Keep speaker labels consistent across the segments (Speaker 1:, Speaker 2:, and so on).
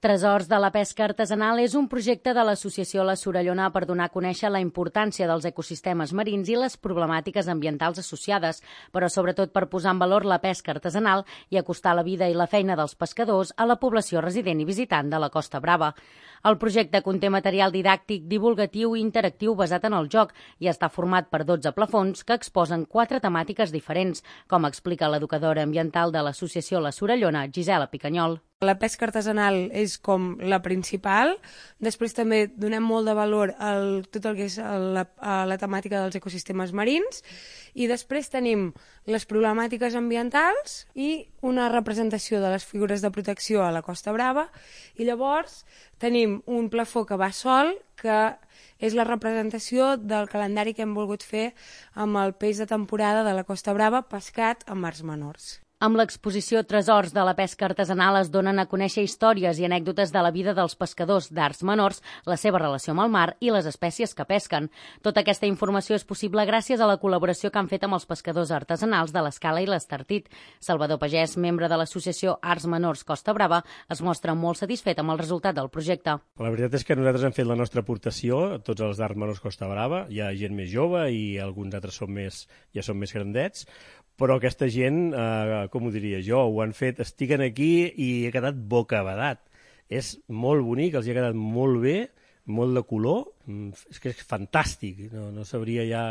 Speaker 1: Tresors de la pesca artesanal és un projecte de l'associació La Sorellona per donar a conèixer la importància dels ecosistemes marins i les problemàtiques ambientals associades, però sobretot per posar en valor la pesca artesanal i acostar la vida i la feina dels pescadors a la població resident i visitant de la Costa Brava. El projecte conté material didàctic, divulgatiu i interactiu basat en el joc i està format per 12 plafons que exposen 4 temàtiques diferents, com explica l'educadora ambiental de l'associació La Sorellona, Gisela Picanyol.
Speaker 2: La pesca artesanal és com la principal, després també donem molt de valor a tot el que és la temàtica dels ecosistemes marins i després tenim les problemàtiques ambientals i una representació de les figures de protecció a la Costa Brava i llavors tenim un plafó que va sol, que és la representació del calendari que hem volgut fer amb el peix de temporada de la Costa Brava pescat a mars menors.
Speaker 1: Amb l'exposició Tresors de la pesca artesanal es donen a conèixer històries i anècdotes de la vida dels pescadors d'arts menors, la seva relació amb el mar i les espècies que pesquen. Tota aquesta informació és possible gràcies a la col·laboració que han fet amb els pescadors artesanals de l'Escala i l'Estartit. Salvador Pagès, membre de l'associació Arts Menors Costa Brava, es mostra molt satisfet amb el resultat del projecte.
Speaker 3: La veritat és que nosaltres hem fet la nostra aportació, tots els d'Arts Menors Costa Brava, hi ha gent més jove i alguns altres ja són més grandets, però aquesta gent, com ho diria jo, ho han fet, estiguen aquí i ha quedat bocabadat. És molt bonic, els hi ha quedat molt bé, molt de color, és que és fantàstic, no sabria ja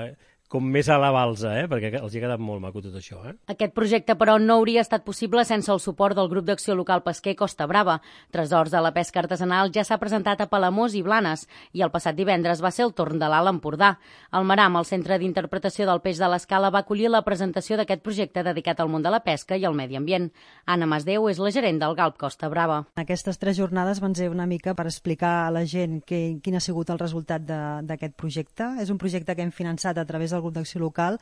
Speaker 3: com més a la balsa, perquè els hi ha quedat molt maco tot això.
Speaker 1: Aquest projecte, però, no hauria estat possible sense el suport del grup d'acció local pesquer Costa Brava. Tresors de la pesca artesanal ja s'ha presentat a Palamós i Blanes i el passat divendres va ser el torn de l'Alt Empordà. El Maram, el Centre d'Interpretació del Peix de l'Escala, va acollir la presentació d'aquest projecte dedicat al món de la pesca i al medi ambient. Anna Masdeu és la gerent del Galp Costa Brava.
Speaker 4: Aquestes 3 jornades van ser una mica per explicar a la gent quin ha sigut el resultat d'aquest projecte. És un projecte que hem finançat a través del grup d'acció local,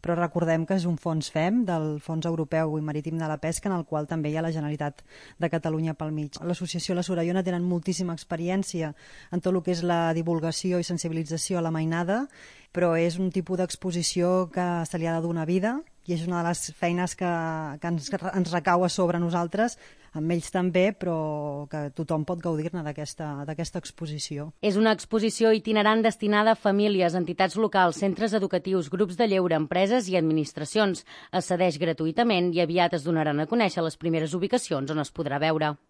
Speaker 4: però recordem que és un fons FEM, del Fons Europeu i Marítim de la Pesca, en el qual també hi ha la Generalitat de Catalunya pel mig. L'associació La Sorellona tenen moltíssima experiència en tot el que és la divulgació i sensibilització a la mainada, però és un tipus d'exposició que se li ha de donar vida i és una de les feines que ens recau a sobre nosaltres, amb ells també, però que tothom pot gaudir-ne d'aquesta exposició.
Speaker 1: És una exposició itinerant destinada a famílies, entitats locals, centres educatius, grups de lleure, empreses i administracions. Es cedeix gratuïtament i aviat es donaran a conèixer les primeres ubicacions on es podrà veure.